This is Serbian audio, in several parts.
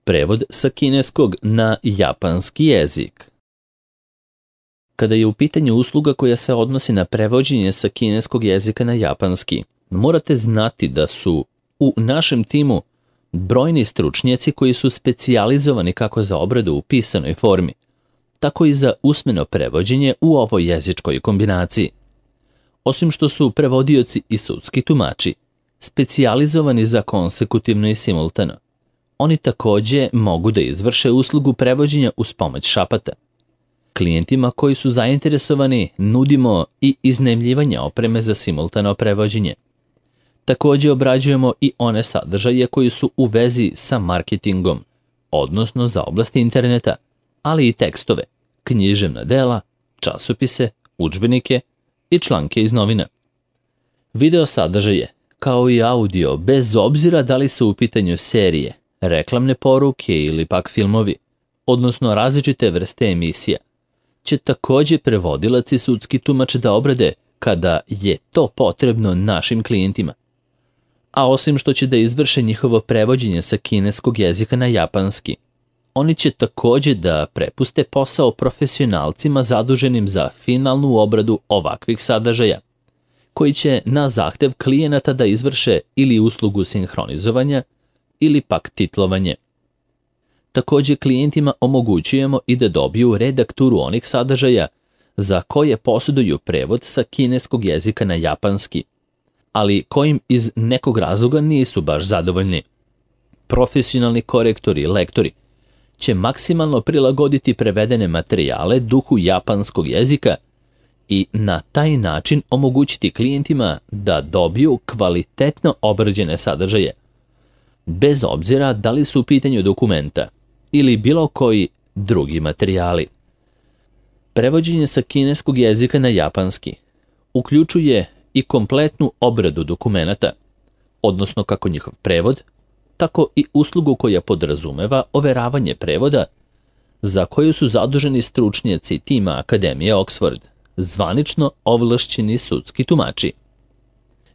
Prevod sa kineskog na japanski jezik. Kada je u pitanju usluga koja se odnosi na prevođenje sa kineskog jezika na japanski, morate znati da su u našem timu brojni stručnjaci koji su specijalizovani kako za obradu u pisanoj formi, tako i za usmeno prevođenje u ovoj jezičkoj kombinaciji. Osim što su prevodioci i sudski tumači specijalizovani za konsekutivno i simultano, oni takođe mogu da izvrše uslugu prevođenja uz pomoć šapata. Klijentima koji su zainteresovani nudimo i iznajmljivanje opreme za simultano prevođenje. Takođe obrađujemo i one sadržaje koji su u vezi sa marketingom, odnosno za oblast interneta, ali i tekstove, književna dela, časopise, udžbenike i članke iz novina. Video sadržaje, kao i audio, bez obzira da li su u pitanju serije, reklamne poruke ili pak filmovi, odnosno različite vrste emisija, će takođe prevodilac i sudski tumač da obrade kada je to potrebno našim klijentima. A osim što će da izvrše njihovo prevođenje sa kineskog jezika na japanski, oni će takođe da prepuste posao profesionalcima zaduženim za finalnu obradu ovakvih sadržaja, koji će na zahtev klijenata da izvrše ili uslugu sinhronizovanja ili pak titlovanje. Takođe klijentima omogućujemo i da dobiju redakturu onih sadržaja za koje posjeduju prevod sa kineskog jezika na japanski, ali kojim iz nekog razloga nisu baš zadovoljni. Profesionalni korektori i lektori će maksimalno prilagoditi prevedene materijale duhu japanskog jezika i na taj način omogućiti klijentima da dobiju kvalitetno obrađene sadržaje, bez obzira da li su u pitanju dokumenta ili bilo koji drugi materijali. Prevođenje sa kineskog jezika na japanski uključuje i kompletnu obradu dokumenata, odnosno kako njihov prevod, tako i uslugu koja podrazumeva overavanje prevoda, za koju su zaduženi stručnjaci tima Akademije Oxford, zvanično ovlašćeni sudski tumači.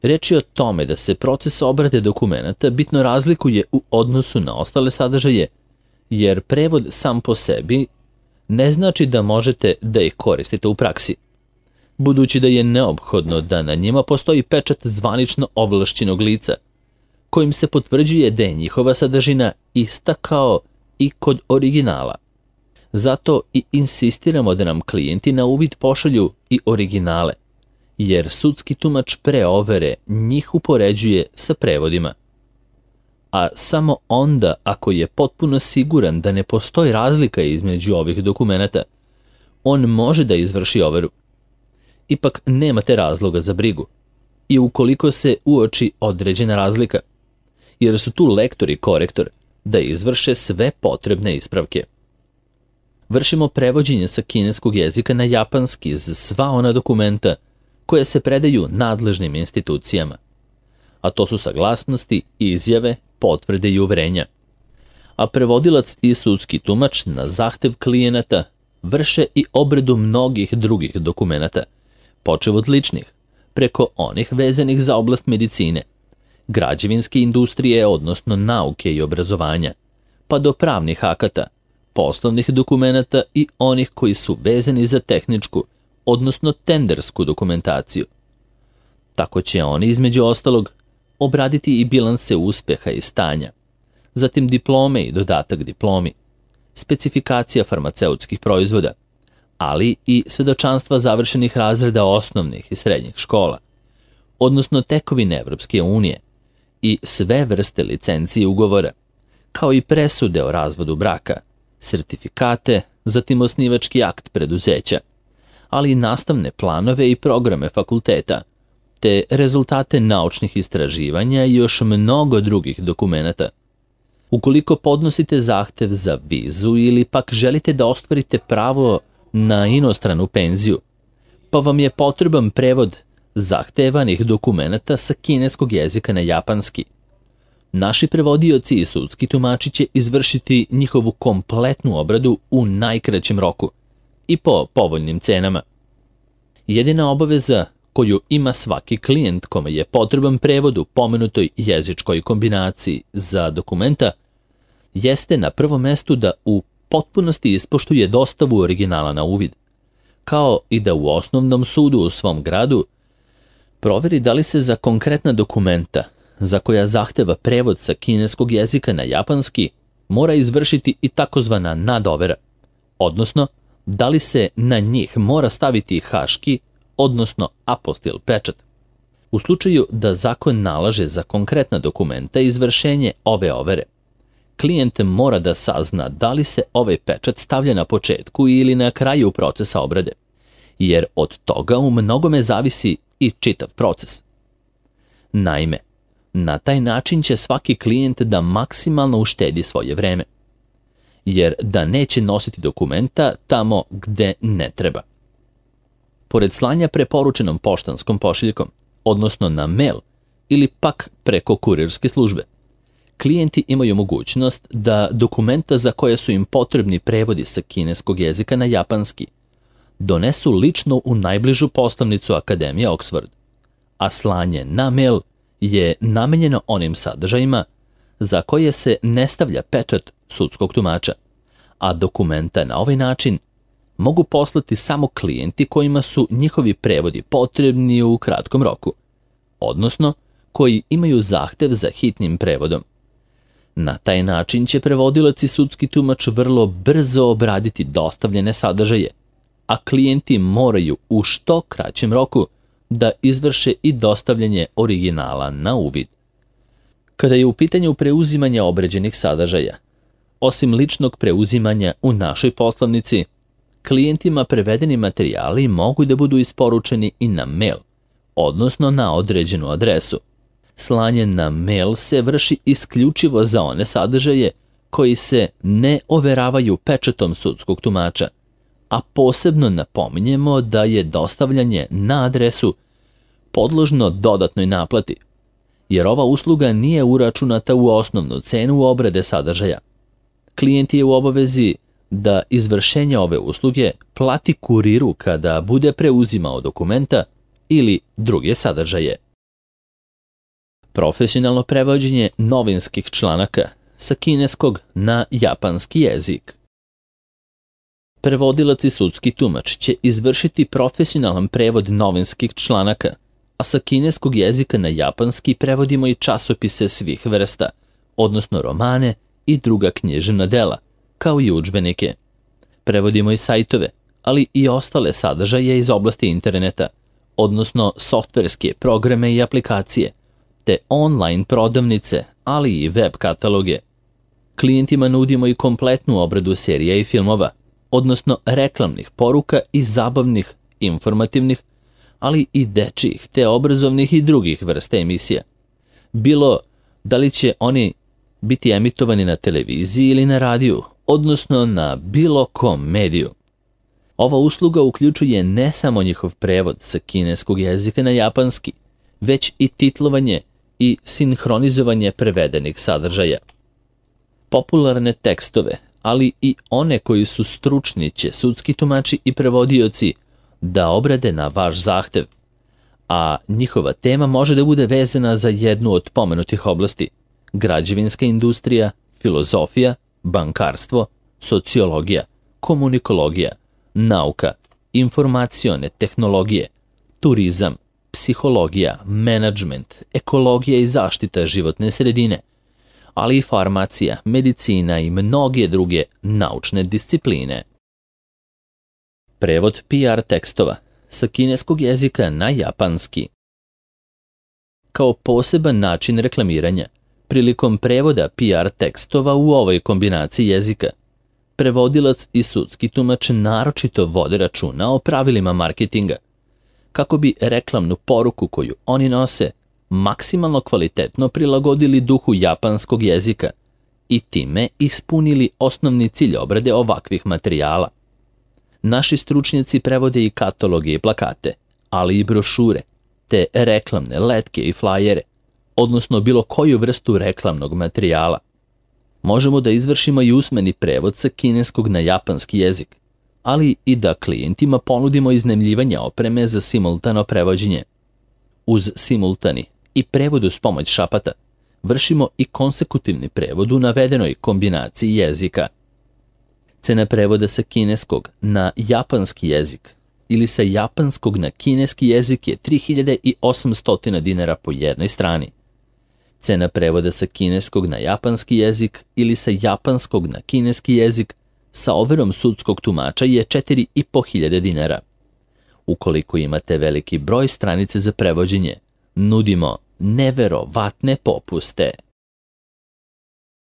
Reč je o tome da se proces obrade dokumenata bitno razlikuje u odnosu na ostale sadržaje, jer prevod sam po sebi ne znači da možete da ih koristite u praksi, budući da je neophodno da na njima postoji pečat zvanično ovlašćenog lica, kojim se potvrđuje da je njihova sadržina ista kao i kod originala. Zato i insistiramo da nam klijenti na uvid pošalju i originale, jer sudski tumač pre overe njih upoređuje sa prevodima. A samo onda ako je potpuno siguran da ne postoji razlika između ovih dokumenata, on može da izvrši overu. Ipak nemate razloga za brigu i ukoliko se uoči određena razlika, jer su tu lektor i korektor da izvrše sve potrebne ispravke. Vršimo prevođenje sa kineskog jezika na japanski za sva ona dokumenta koje se predaju nadležnim institucijama, a to su saglasnosti, izjave, potvrde i uverenja. A prevodilac i sudski tumač na zahtev klijenata vrše i obradu mnogih drugih dokumenata, počev od ličnih, preko onih vezanih za oblast medicine, građevinske industrije, odnosno nauke i obrazovanja, pa do pravnih akata, poslovnih dokumenata i onih koji su vezani za tehničku, odnosno tendersku dokumentaciju. Tako će oni, između ostalog, obraditi i bilanse uspeha i stanja, zatim diplome i dodatak diplomi, specifikacija farmaceutskih proizvoda, ali i svedočanstva završenih razreda osnovnih i srednjih škola, odnosno tekovine Evropske unije i sve vrste licencije ugovora, kao i presude o razvodu braka, sertifikate, zatim osnivački akt preduzeća, ali i nastavne planove i programe fakulteta, te rezultate naučnih istraživanja i još mnogo drugih dokumenata. Ukoliko podnosite zahtev za vizu ili pak želite da ostvarite pravo na inostranu penziju, pa vam je potreban prevod zahtevanih dokumenata sa kineskog jezika na japanski, naši prevodioci i sudski tumači će izvršiti njihovu kompletnu obradu u najkraćem roku i po povoljnim cenama. Jedina obaveza koju ima svaki klijent kome je potreban prevod u pomenutoj jezičkoj kombinaciji za dokumenta jeste na prvom mestu da u potpunosti ispoštuje dostavu originala na uvid, kao i da u osnovnom sudu u svom gradu proveri da li se za konkretna dokumenta za koja zahteva prevod sa kineskog jezika na japanski mora izvršiti i takozvana nadovera, odnosno da li se na njih mora staviti haški, odnosno apostil pečat. U slučaju da zakon nalaže za konkretna dokumenta izvršenje ove overe, klijent mora da sazna da li se ovaj pečat stavlja na početku ili na kraju procesa obrade, jer od toga u mnogome zavisi i čitav proces. Naime, na taj način će svaki klijent da maksimalno uštedi svoje vreme, jer da neće nositi dokumenta tamo gde ne treba. Pored slanja preporučenom poštanskom pošiljkom, odnosno na mail ili pak preko kurirske službe, klijenti imaju mogućnost da dokumenta za koje su im potrebni prevodi sa kineskog jezika na japanski donesu lično u najbližu poslovnicu Akademije Oxford, a slanje na mail je namenjeno onim sadržajima za koje se ne stavlja pečat sudskog tumača, a dokumenta na ovaj način mogu poslati samo klijenti kojima su njihovi prevodi potrebni u kratkom roku, odnosno koji imaju zahtev za hitnim prevodom. Na taj način će prevodilac i sudski tumač vrlo brzo obraditi dostavljene sadržaje, a klijenti moraju u što kraćem roku da izvrše i dostavljanje originala na uvid. Kada je u pitanju preuzimanja obrađenih sadržaja, osim ličnog preuzimanja u našoj poslovnici, klijentima prevedeni materijali mogu da budu isporučeni i na mail, odnosno na određenu adresu. Slanje na mail se vrši isključivo za one sadržaje koji se ne overavaju pečatom sudskog tumača, a posebno napominjemo da je dostavljanje na adresu podložno dodatnoj naplati, jer ova usluga nije uračunata u osnovnu cenu obrade sadržaja. Klijent je u obavezi da izvršenje ove usluge plati kuriru kada bude preuzimao dokumenta ili druge sadržaje. Profesionalno prevođenje novinskih članaka sa kineskog na japanski jezik. Prevodilac i sudski tumač će izvršiti profesionalan prevod novinskih članaka, a sa kineskog jezika na japanski prevodimo i časopise svih vrsta, odnosno romane i druga književna dela, kao i udžbenike. Prevodimo i sajtove, ali i ostale sadržaje iz oblasti interneta, odnosno softverske programe i aplikacije, te online prodavnice, ali i web kataloge. Klijentima nudimo i kompletnu obradu serija i filmova, odnosno reklamnih poruka i zabavnih, informativnih, ali i dečjih, te obrazovnih i drugih vrsta emisija. Bilo da li će oni biti emitovani na televiziji ili na radiju, odnosno na bilo kom mediju. Ova usluga uključuje ne samo njihov prevod sa kineskog jezika na japanski, već i titlovanje i sinhronizovanje prevedenih sadržaja. Popularne tekstove, ali i one koji su stručni će sudski tumači i prevodioci da obrade na vaš zahtev, a njihova tema može da bude vezana za jednu od pomenutih oblasti: građevinska industrija, filozofija, bankarstvo, sociologija, komunikologija, nauka, informacione tehnologije, turizam, psihologija, menadžment, ekologija i zaštita životne sredine, ali i farmacija, medicina i mnoge druge naučne discipline. Prevod PR tekstova sa kineskog jezika na japanski. Kao poseban način reklamiranja, prilikom prevoda PR tekstova u ovoj kombinaciji jezika, prevodilac i sudski tumač naročito vode računa o pravilima marketinga, kako bi reklamnu poruku koju oni nose maksimalno kvalitetno prilagodili duhu japanskog jezika i time ispunili osnovni cilj obrade ovakvih materijala. Naši stručnjaci prevode i kataloge i plakate, ali i brošure, te reklamne letke i flajere, odnosno bilo koju vrstu reklamnog materijala. Možemo da izvršimo i usmeni prevod sa kineskog na japanski jezik, ali i da klijentima ponudimo iznajmljivanje opreme za simultano prevođenje. Uz simultani i prevod uz pomoć šapata, vršimo i konsekutivni prevod u navedenoj kombinaciji jezika. Cena prevoda sa kineskog na japanski jezik ili sa japanskog na kineski jezik je 3800 dinara po jednoj strani. Cena prevoda sa kineskog na japanski jezik ili sa japanskog na kineski jezik sa overom sudskog tumača je 4500 dinara. Ukoliko imate veliki broj stranice za prevođenje, nudimo neverovatne popuste.